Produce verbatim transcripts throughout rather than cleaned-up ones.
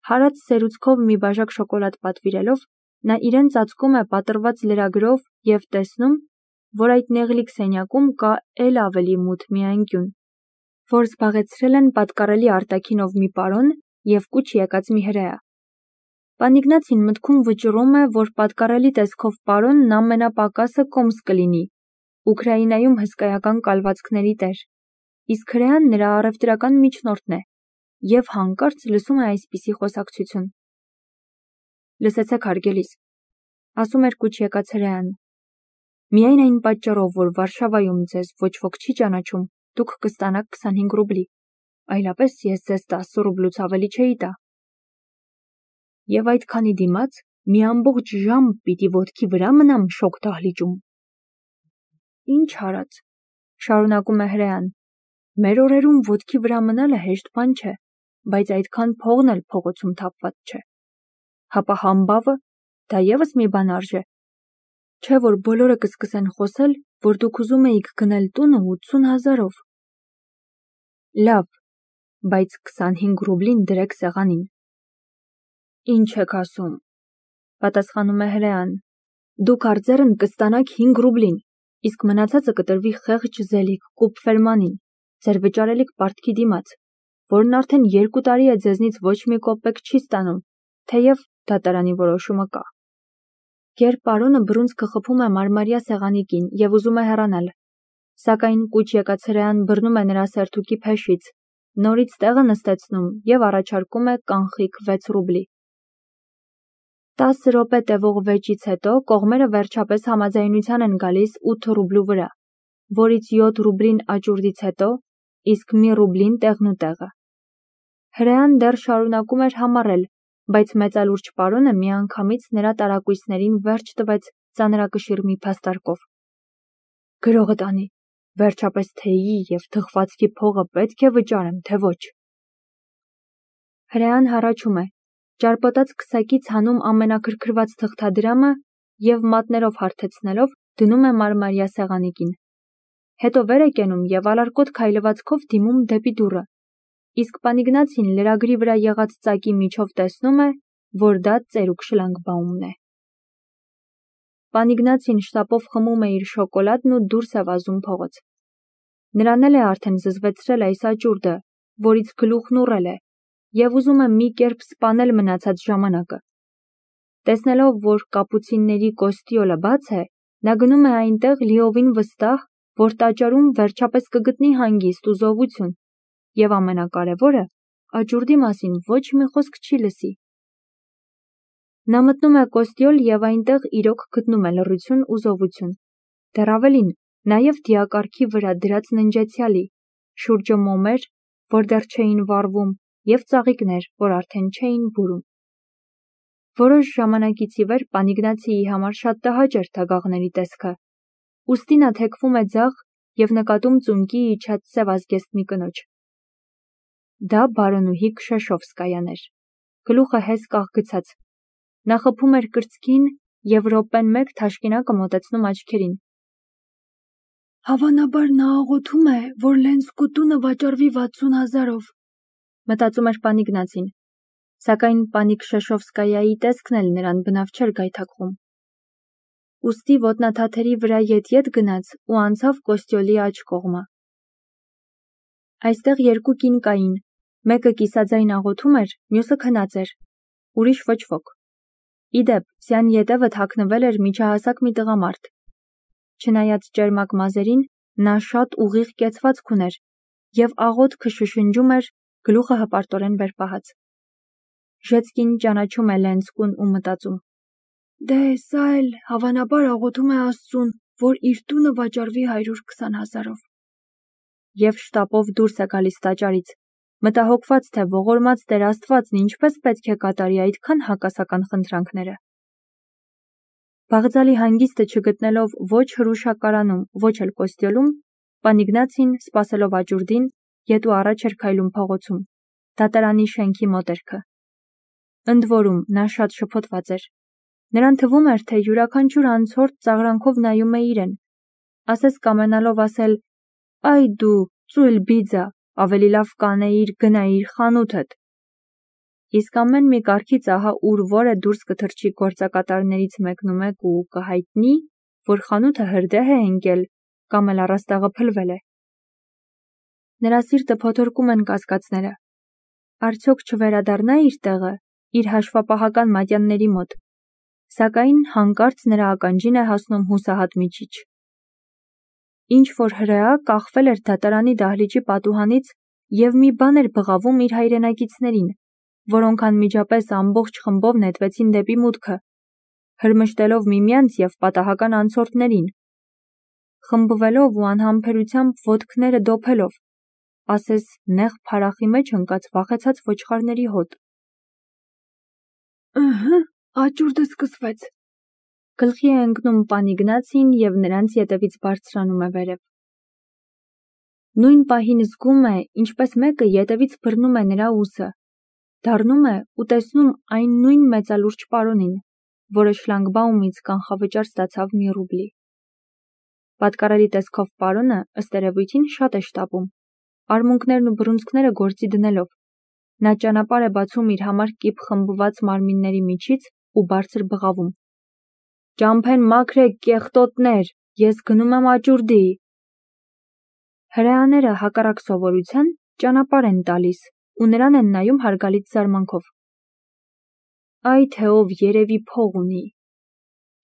Հարած սերուցքով մի բաժակ շոկոլադ պատվիրելով, նա իրեն ծածկում է պատռված լրագրով և տեսնում, որ այդ նեղլիկ սենյակում կա էլ ավելի մութ մի անկյուն, որ զբաղեցրել են պատկառելի արտաքինով մի պարոն և կուչ եկած մի հրեա։ Պանիգնացին մտքում վճռում է, որ պատկառելի տեսքով պարոնն ամենապակասը կոմս կլինի, Ուկրաինայում հսկայական կալվածքների տեր, իսկ հրեան նրա առևտրական միջնորդն է, և հանկարծ լսում է այսպիսի խոսակցություն. «Լսեցեք, հարգելիս», ասում էր կուչ եկած հրեան, «միայն այն պատճառով, որ Վարշավայում ձեզ ոչ ոք չի ճանաչում, դուք կստանաք քսանհինգ ռուբլի, այլապես ես ձեզ տասը ռուբլուց ավելի չէի տա։ Եվ այդքանի դիմաց մի ամբողջ ժամ պիտի ոտքի վրա մնամ շոգ դահլիճում»։ Ինչ արած, շարունակում է հրեան, մեր օրերում ոտքի վրա մնալը հեշտ բան չէ, բայց այդքան փողն էլ փողոցում թափված չէ։ Հապա համբավը, դա ևս մի բան արժե։ Չէ՞ որ բոլորը կսկսեն խոսել, որ դուք ուզում էիք գնել տունը ութսուն հազարով։ Լավ, բայց քսանհինգ ռուբլին դրեք սեղանին։ Ինչ եք ասում, պատասխանում է հրեան, դուք արձերն կստանաք հինգ ռուբլին, իսկ մնացածը կտրվի խեղճ Զելիք Կուպֆերմանին, ձեր վճարելիք պարտքի դիմաց, որն արդեն երկու տարի է ձեզնից ոչ մի կոպեկ չի ստանում, թեև դատարանի որոշումը կա։ Երբ պարոնը բռունցքը խփում է մարմարյա սեղանի կին և ուզում է հեռանալ, սակայն կուչ եկած հրեան բռնում է նրա սերթուկի փեշից, նորից տեղը նստեցնում և առաջարկում է կանխիկ վեց ռուբլի։ Տասը րոպե տևող վեճից հետո կողմերը վերջապես համաձայնության են գալիս ութ ռուբլու վրա, որից յոթ ռուբլին աճուրդից հետո, իսկ մի ռուբլին տեղնուտեղը։ Հրեան դեռ շարունակում էր համառել, բայց մեծալուրջ պարոնը միանգամից նրա տարակույսներին վերջ տվեց ծանրակշիռ մի փաստարկով. «Գրողդ անի, վերջապես թեյի և թխվածքի փողը պետք է վճարեմ, թե ոչ»։ Հրեան հառաչում է, ճարպոտած քսակից հանում ամենաքրքրված թղթադրամը և մատներով հարթեցնելով դնում է մարմարյա սեղանի կին։ Հետո վեր է կենում և ալարկոտ քայլվածքով դիմում դեպի դուռը, իսկ Պանիգնացին լրագրի վրա եղած ծակի միջով տեսնում է, որ դա ծերուկ շլագբաումն է։ Պանիգնացին շտապով խմում է իր շոկոլադն ու դուրս է վազում փողոց։ Նրան էլ է արդեն զզվեցրել այս աճուրդը, որից գլուխն ուռել է, և ուզում է մի կերպ սպանել մնացած ժամանակը։ Տեսնելով, որ կապուցինների կոստյոլը բաց է, նա գնում է այնտեղ լիովին վստահ, որ տաճարում վերջապես կգտնի հանգիստ ու զովություն, և ամենակարևորը, աճուրդի մասին ոչ մի խոսք չի լսի։ Նա մտնում է կոստյոլ և այնտեղ իրոք գտնում է լռություն ու զովություն, դեռ ավելին, նաև դիակառքի վրա դրած ննջեցյալի, շուրջը մոմեր, որ դեռ չէին վառվում, և ծաղիկներ, որ արդեն չէին բուրում։ Որոշ ժամանակից ի վեր Պանիգնացիի համար շատ տհաճ էր թագաղների տեսքը, ուստի նա թեքվում է ձախ և նկատում ծունկի իջած սև ազգեստ մի կնոջ։ Դա բարոնուհի Քշեշովսկայան էր, գլուխը հեսկաղ գցած։ Նա խփում էր կրծքին և րոպեն մեկ թաշկինակը մոտեցնում աչքերին։ Հավանաբար նա աղոթում է, որ Լենսկու տունը վաճառվի վաթսուն հազարով, մտածում էր Պանիգնացին, սակայն պանի Քշեշովսկայայի տեսքն էլ նրան բնավ չէր գայթակղում։ Ուստի ոտնաթաթերի վրա ետ-ետ գնաց ու անցավ կոստյոլի աջ կողմը։ Այստեղ երկու կին կային, մեկը կիսաձայն աղոթում էր, մյուսը քնած էր, ուրիշ ոչ ոք։ Ի դեպ, սյան ետևը թաքնվել էր միջահասակ մի տղամարդ։ Չնայած ճերմակ մազերին, նա շատ ուղիղ կեցվածք ուներ և աղոթքը շշնջում էր, գլուխը հպարտորեն վեր պահած։ Ժեցկին ճանաչում է Լենսկուն ու մտածում. Դե սա էլ հավանաբար աղոթում է Աստծուն, որ իր տունը վաճառվի հարյուր քսան հազարով։ Եվ շտապով դուրս է գալիս տաճարից, մտահոգված, թե ողորմած Տեր Աստվածն ինչպես պետք է կատարի այդքան հակասական խնդրանքները։ Բաղձալի հանգիստը չգտնելով ոչ հրուշակարանում, ոչ էլ կոստյոլում, Պանիգնացին, սպասելով աճուրդին, ետ ու առաջ էր քայլում փողոցում, դատարանի շենքի մոտերքը։ Ընդ որում, նա շատ շփոթված էր։ Նրան թվում էր, թե յուրաքանչյուր անցորդ ծաղրանքով նայում է իրեն, ասես կամենալով ասել. «Այ դու, ծույլ բիձա, ավելի լավ կանեիր գնայիր խանութդ»։ Իսկ ամեն մի կարգից ահա ուր որը դուրս կթռչի գործակատարներից մեկն ու մեկ ու կհայտնի, որ խանութը հրդեհ է ընկել կամ էլ առաստաղը փլվել է։ Նրա սիրտը փոթորկում են կասկածները։ Արդյոք չվերադառնա իր տեղը, իր հաշվապահական մատյանների մոտ, սակայն հանկարծ նրա ականջին է հասնում հուսահատ միջիչ։ Ինչ որ հրեա կախվել էր դատարանի դահլիճի պատուհանից և մի բան էր բղավում իր հայրենակիցներին, որոնք անմիջապես ամբողջ խմբով նետվեցին դեպի մուտքը, հրմշտելով միմյանց և պատահական անցորդներին, խմբվելով ու անհամբերությամբ ոտքները դոփելով, ասես նեղ փարախի մեջ ընկած վախեցած ոչխարների հոտ։ Ըհը, աճուրդը սկսվեց։ Գլխի է ընկնում պան Իգնացին և նրանց ետևից բարձրանում է վերև։ Նույն պահին զգում է, ինչպես մեկը ետևից բռնում է նրա ուսը, դառնում է ու տեսնում այն նույն մեծալուրջ պարոնին, որը շլագբաումից կանխավճար ստացավ մի ռուբլի։ Պատկառելի տեսքով պարոնը, ըստ երևույթին, շատ է շտապում, արմունկներն ու բռունցքները գործի դնելով։ Նա ճանապարհ է բացում իր համար կիպ խմբված մարմինների միջից ու բարձր բղավում. «Ճամփեն մաքրեք, կեղտոտներ, ես գնում եմ աճուրդի»։ Հրեաները, հակառակ սովորության, ճանապարհ են տալիս ու նրան են նայում հարգալից զարմանքով։ «Այ թե ով երևի փող ունի»,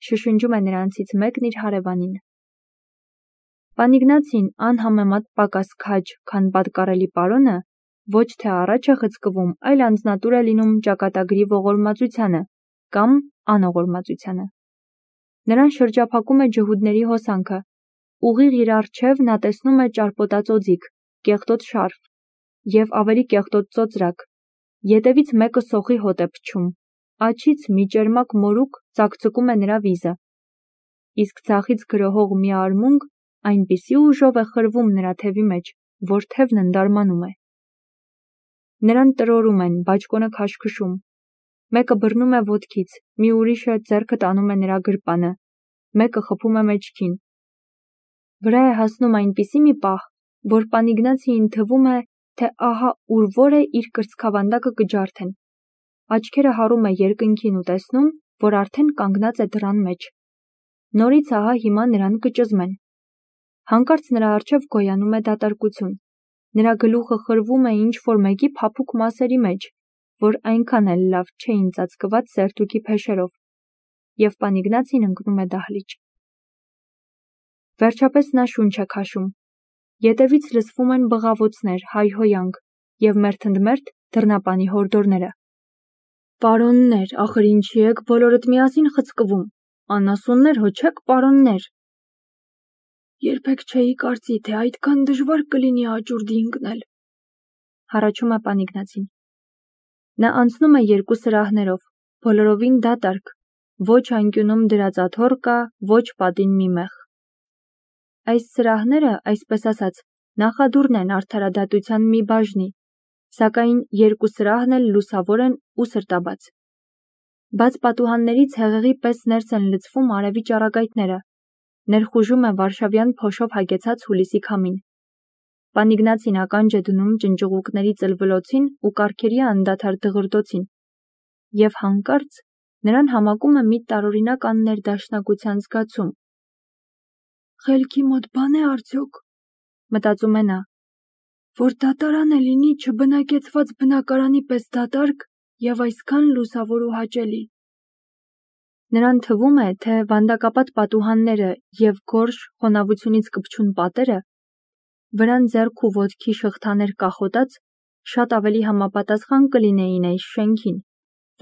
շշնջում է նրանցից մեկն իր հարևանին։ Պան Իգնացին անհամեմատ պակաս քաջ, քան պատկառելի պարոնը, ոչ թե առաջ է խցկվում, այլ անձնատուր է լինում ճակատագրի ողորմածությանը կամ անողորմածությանը։ Նրան շրջափակում է ջհուդների հոսանքը, ուղիղ իր առջև նա տեսնում է ճարպոտած օձիք, կեղտոտ շարֆ և ավելի կեղտոտ ծոծրակ, ետևից մեկը սոխի հոտ է փչում, աջից մի ճերմակ մորուք ծակծկում է նրա վիզը, իսկ ձախից գրոհող մի արմունկ այնպիսի ուժով է խրվում նրա թևի մեջ, որ թևն ընդարմանում է։ Նրան տրորում են, բաճկոնը քաշքշում, մեկը բռնում է ոտքից, մի ուրիշը ձեռքը տանում է նրա գրպանը, մեկը խփում է մեջքին։ Վրա է հասնում այնպիսի մի պահ, որ պան Իգնացիին թվում է, թե ահա ուր որ է իր կրծքավանդակը կջարդեն։ Աչքերը հառում է երկնքին ու տեսնում, որ արդեն կանգնած է դռան մեջ։ Նորից ահա հիմա նրան կճզմեն։ Հանկարծ նրա առջև գոյանում է դատարկություն։ Նրա գլուխը խրվում է ինչ-որ մեկի փափուկ մասերի մեջ, որ այնքան էլ լավ չէին ծածկված սերտուքի փեշերով, և պան Իգնացին ընկնում է դահլիճ։ Վերջապես նա շունչ է քաշում։ Ետևից լսվում են բղավոցներ, հայհոյանք և մերթընդմերթ դռնապանի հորդորները։ Պարոններ, ախր ինչի եք բոլորդ միասին խցկվում, անասուններ հո չեք, պարոններ։ Երբեք չէի կարծի, թե այդքան դժվար կլինի աճուրդի ընկնել, հառաչում է պան Իգնացին։ Նա անցնում է երկու սրահներով, բոլորովին դատարկ, ոչ անկյունում դրած աթոռ կա, ոչ պատին մի մեղ։ Այս սրահները, այսպես ասած, նախադուռն են արդարադատության մի բաժնի, սակայն երկու սրահն էլ լուսավոր են ու սրտաբաց։ Բաց պատուհաններից հեղեղի պես ներս են լցվում արևի ճառագայթները, ներխուժում է վարշավյան փոշով հագեցած հուլիսի քամին։ Պան Իգնացին ականջ է դնում ճնճղուկների ծլվլոցին ու կառքերի անդադար դղրդոցին, և հանկարծ նրան համակում է մի տարօրինակ աններդաշնակության զգացում։ Խելքի մոտ բան է արդյոք, մտածում է նա, որ դատարանը լինի չբնակեցված բնակարանի պես դատարկ և այսքան լուսավոր ու հաճելի։ Նրան թվում է, թե վանդակապատ պատուհանները և գորշ, խոնավությունից կպչուն պատերը, վրան ձեռք ու ոտքի շղթաներ կախոտած, շատ ավելի համապատասխան կլինեին այս շենքին,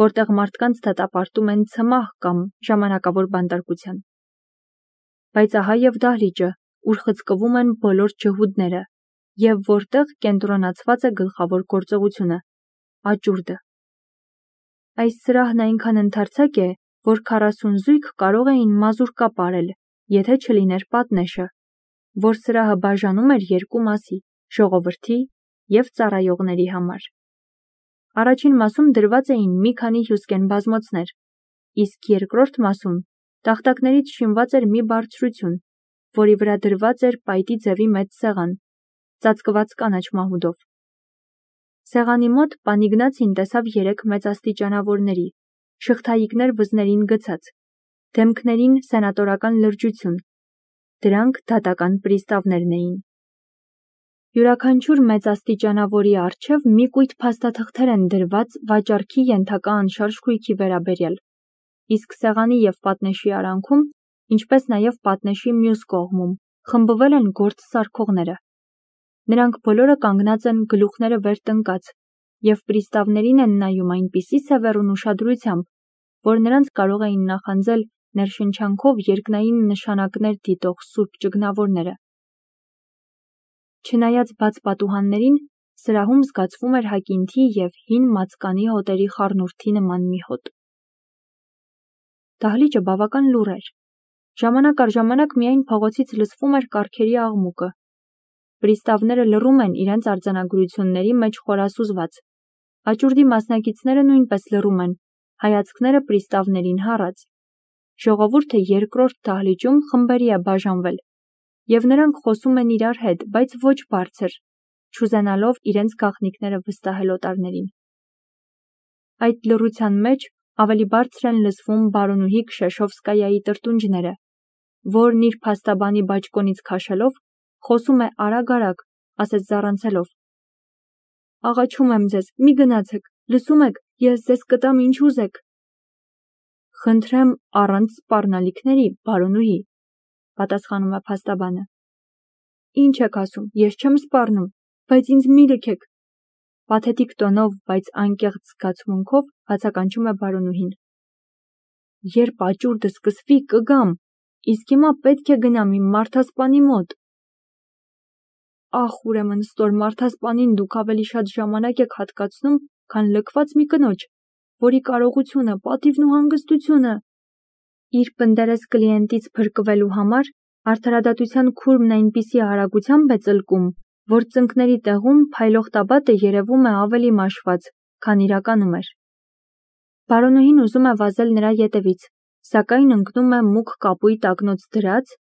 որտեղ մարդկանց դատապարտում են ցմահ կամ ժամանակավոր բանտարկության։ Բայց ահա և դահլիճը, ուր խցկվում են բոլոր ջհուդները, և որտեղ կենտրոնացված է գլխավոր գործողությունը՝ աճուրդը։ Այս սրահն այնքան ընդարձակ է, որ քառասուն զույգ կարող էին մազուրկա պարել, եթե չլիներ պատնեշը, որ սրահը բաժանում էր երկու մասի՝ ժողովրդի և ծառայողների համար։ Առաջին մասում դրված էին մի քանի հյուսկեն բազմոցներ, իսկ երկրորդ մասում տախտակներից շինված էր մի բարձրություն, որի վրա դրված էր պայտի ձևի մեծ սեղան, ծածկված կանաչ մահուդով։ Սեղանի մոտ Պանիգնացին տեսավ երեք մեծաստիճանավորների, շղթայիկներ վզներին գցած, դեմքներին սենատորական լրջություն, դրանք դատական պրիստավներն էին։ Յուրաքանչյուր մեծաստիճանավորի առջև մի կույտ փաստաթղթեր են դրված վաճառքի ենթակա անշարժ քույքի վերաբերյալ, իսկ սեղանի և պատնեշի արանքում, ինչպես նաև պատնեշի մյուս կողմում, խմբվել են գործ սարքողները։ Նրանք բոլորը կանգնած են գլուխները վեր տնկած և պրիստավներին են նայում այնպիսի սևեռուն ուշադրությամբ, որ նրանց կարող էին նախանձել ներշնչանքով երկնային նշանակներ դիտող սուրբ ճգնավորները։ Չնայած բաց պատուհաններին, սրահում զգացվում էր հակինթի և հին մածկանի հոտերի խառնուրդի նման մի հոտ։ Դահլիճը բավական լուռ էր։ Ժամանակ առ ժամանակ միայն փողոցից լսվում էր կառքերի աղմուկը։ Պրիստավները լռում են իրենց արձանագրությունների մեջ խորասուզված։ Աճուրդի մասնակիցները նույնպես լռում են, հայացքները պրիստավներին հառած։ Ժողովուրդը երկրորդ դահլիճում խմբերի է բաժանվել, և նրանք խոսում են իրար հետ, բայց ոչ բարձր, չուզենալով իրենց գաղտնիքները վստահել օտարներին։ Այդ լռության մեջ ավելի բարձր են լսվում բարոնուհի Քշեշովսկայայի տրտունջները, որն իր փաստաբանի բաճկոնից քաշելով, խոսում է արագ-արագ, ասես զառանցելով. «Աղաչում եմ ձեզ, մի գնացեք, լսում եք, ես ձեզ կտամ ինչ ուզեք»։ «Խնդրեմ առանց սպառնալիքների, բարոնուհի», պատասխանում է փաստաբանը։ «Ինչ եք ասում, ես չեմ սպառնում, բայց ինձ մի լքեք», պաթետիկ տոնով, բայց անկեղծ զգացմունքով բացականչում է բարոնուհին։ «Երբ աճուրդը սկսվի, կգամ, իսկ հիմա պետք է գնամ իմ մարդասպանի մոտ»։ Ախ, ուրեմն ստոր մարդասպանին դուք ավելի շատ ժամանակ եք հատկացնում, քան լքված մի կնոջ, որի կարողությունը, պատիվն ու հանգստությունը։ Իր պնդերես կլիենտից փրկվելու համար արդարադատության քուրմն այնպիսի արագությամբ է ծլկում, որ ծնկների տեղում փայլող տաբատը երևում է ավելի մաշված, քան իրականում էր։ Բարոնուհին ուզում է վազել նրա ետևից, սակայն ընկնում է մուգ կապույտ ակնոց դրած,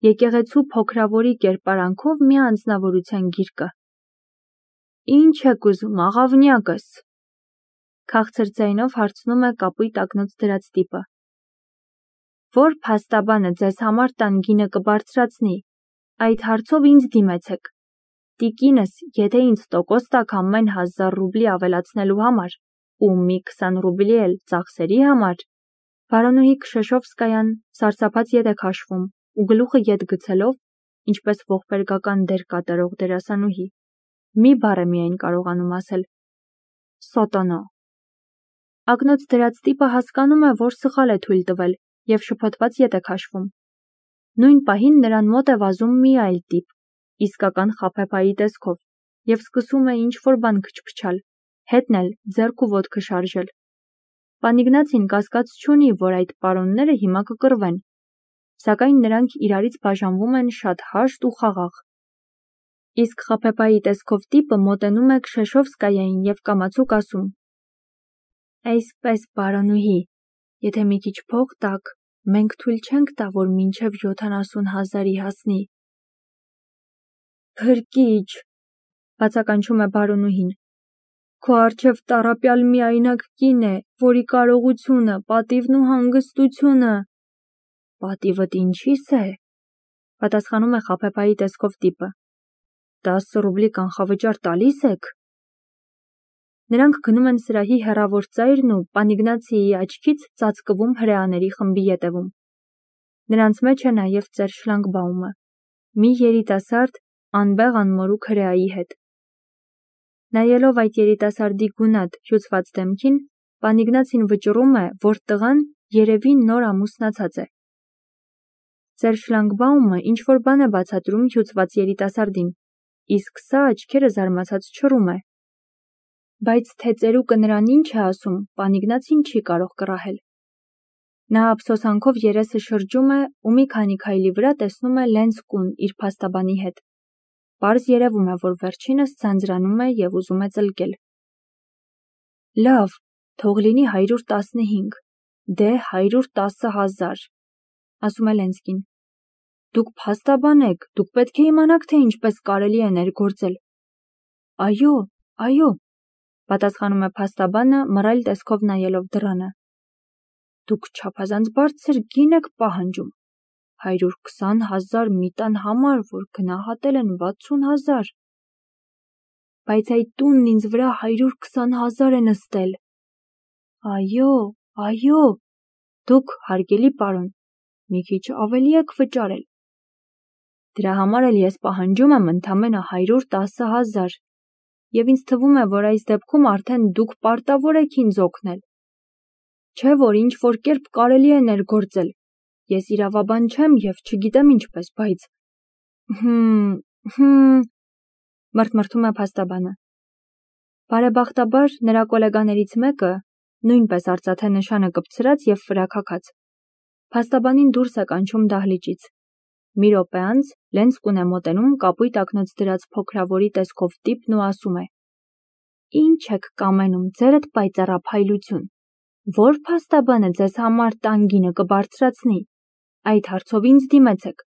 եկեղեցու փոքրավորի կերպարանքով մի անձնավորության գիրկը։ «Ինչ եք ուզում, աղավնյակս», քաղցր ձայնով հարցնում է կապույտ ակնոց դրած տիպը։ «Որ փաստաբանը ձեզ համար տան գինը կբարձրացնի, այդ հարցով ինձ դիմեցեք։ Տիկինս, եթե ինձ տոկոս տաք ամեն հազար ռուբլի ավելացնելու համար, ու մի քսան ռուբլի էլ ծախսերի համար»։ Բարոնուհի Քշեշովսկայան սարսափած ետ է քաշվում ու գլուխը ետ գցելով, ինչպես ողբերգական դեր կատարող դերասանուհի, մի բառ է միայն կարողանում ասել. «Սոտոնո»։ Ակնոց դրած տիպը հասկանում է, որ սխալ է թույլ տվել և շփոթված ետ է քաշվում։ Նույն պահին նրան մոտ է վազում մի այլ տիպ, իսկական խաբեբայի տեսքով, և սկսում է ինչ-որ բան քչփչալ, հետն էլ ձեռք ու ոտքը շարժել։ Պանիգնացին կասկած չունի, որ այդ պարոնները հիմա կկռվեն, սակայն նրանք իրարից բաժանվում են շատ հաշտ ու խաղաղ։ Իսկ խաբեբայի տեսքով տիպը մոտենում է Քշեշովսկայային և կամացուկ ասում. «Այսպես, բարոնուհի, եթե մի քիչ փող տաք, մենք թույլ չենք տա, որ մինչև յոթանասուն հազարի հասնի»։ «Փրկիչ», բացականչում է բարոնուհին, «քո առջև տառապյալ միայնակ կին է, որի կարողությունը, պատիվն ու հանգստությունը»։ «Պատիվդ ինչի՞ս է», պատասխանում է խաբեբայի տեսքով տիպը։ «Տասը ռուբլի կանխավճար տալի՞ս եք»։ Նրանք գնում են սրահի հեռավոր ծայրն ու Պանիգնացիի աչքից ծածկվում հրեաների խմբի ետևում։ Նրանց մեջ է նաև ծեր Շլանգբաումը, մի երիտասարդ, անբեղ-անմորուք հրեայի հետ։ Նայելով այդ երիտասարդի գունատ, հյուծված դեմքին, Պանիգնացին վճռում է, որ տղան երևի նոր ամուսնացած է։ Ծեր Շլանգբաումը ինչ-որ բան է բացատրում հյուծված երիտասարդին, իսկ սա աչքերը զարմացած չռում է։ Բայց թե ծերուկը նրան ինչ է ասում, Պանիգնացին չի կարող կռահել։ Նա ափսոսանքով երեսը շրջում է ու մի քանի քայլի վրա տեսնում է Լենսկուն իր փաստաբանի հետ։ Պարզ երևում է, որ վերջինս ձանձրանում է և ուզում է ծլկել։ «Լավ, թող լինի հարյուր տասնհինգ, դե հարյուր տասը հազար», ասում է Լենսկին։ «Դուք փաստաբան եք, դուք պետք է իմանաք, թե ինչպես կարելի է ներգործել»։ «Այո, այո», Պատասխանում է փաստաբանը, մռայլ տեսքով նայելով դռանը։ Դուք չափազանց բարձր գին եք պահանջում։ Հարյուր քսան հազար մի տան համար, որ գնահատել են վաթսուն հազար։ Բայց այդ տունն ինձ վրա հարյուր քսան հազար է նստել։ Այո, այո, դուք, հարգելի պարոն, մի քիչ ավելի եք վճարել։ Դրա համար էլ ես պահանջում եմ ընդամենը հարյուր տասը հազար, և ինձ թվում է, որ այս դեպքում արդեն դուք պարտավոր եք ինձ օգնել։ Չէ՞ որ ինչ-որ կերպ կարելի է ներգործել։ Ես իրավաբան չեմ և չգիտեմ ինչպես, բայց… Հմ, հմ… մրթմրթում է փաստաբանը։ Բարեբախտաբար, նրա կոլեգաներից մեկը, նույնպես արծաթե նշանը կպցրած և ֆրակակած, փաստաբանին դուրս է կանչում դահլիճից։ Մի րոպե անց Լենցկուն է մոտենում կապույտ ակնոց դրած փոքրավորի տեսքով տիպն ու ասում է. Ինչ եք կամենում, ձերդ պայծառափայլություն, որ փաստաբանը ձեզ համար տան գինը կբարձրացնի, այդ հարցով ինձ դիմեցեք,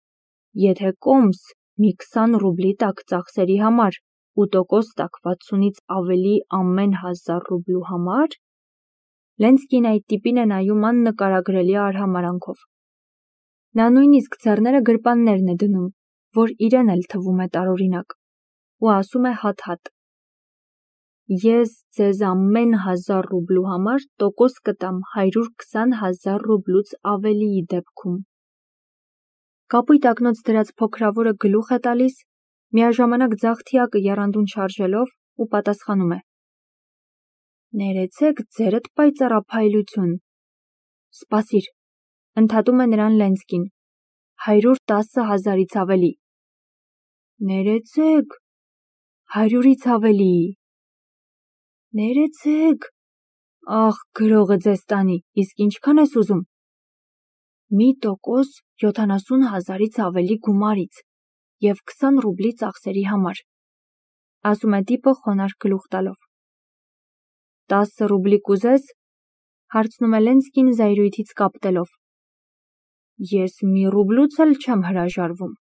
եթե կոմս մի քսան ռուբլի տաք ծախսերի համար ու տոկոս տաք վաթսունից ավելի ամեն հազար ռուբլու համար… Լենցկին այդ տիպին է նայում աննկարագրելի արհամարհանքով։ Նա նույնիսկ ձեռները գրպաններն է դնում, որ իրեն էլ թվում է տարօրինակ, ու ասում է հատ-հատ. Ես ձեզ ամեն հազար ռուբլու համար տոկոս կտամ հարյուր քսան հազար ռուբլուց ավելիի դեպքում։ Կապույտ ակնոց դրած փոքրավորը գլուխ է տալիս, միաժամանակ ձախ թիակը եռանդուն շարժելով ու պատասխանում է. Ներեցեք ձերդ պայծառափայլություն։ Սպասիր, ընդհատում է նրան Լենցկին, հարյուր տասը հազարից ավելի։ Ներեցեք, հարյուրից ավելի։ Ներեցեք, ախ, գրողը ձեզ տանի, իսկ ինչքան ես ուզում։ Մի տոկոս յոթանասուն հազարից ավելի գումարից և քսան ռուբլի ծախսերի համար, ասում է տիպը խոնարհ գլուխ տալով։ Տասը ռուբլի կուզես, հարցնում է Լենցկին զայրույթից կապտելով։ Ես մի ռուբլուց էլ չեմ հրաժարվում։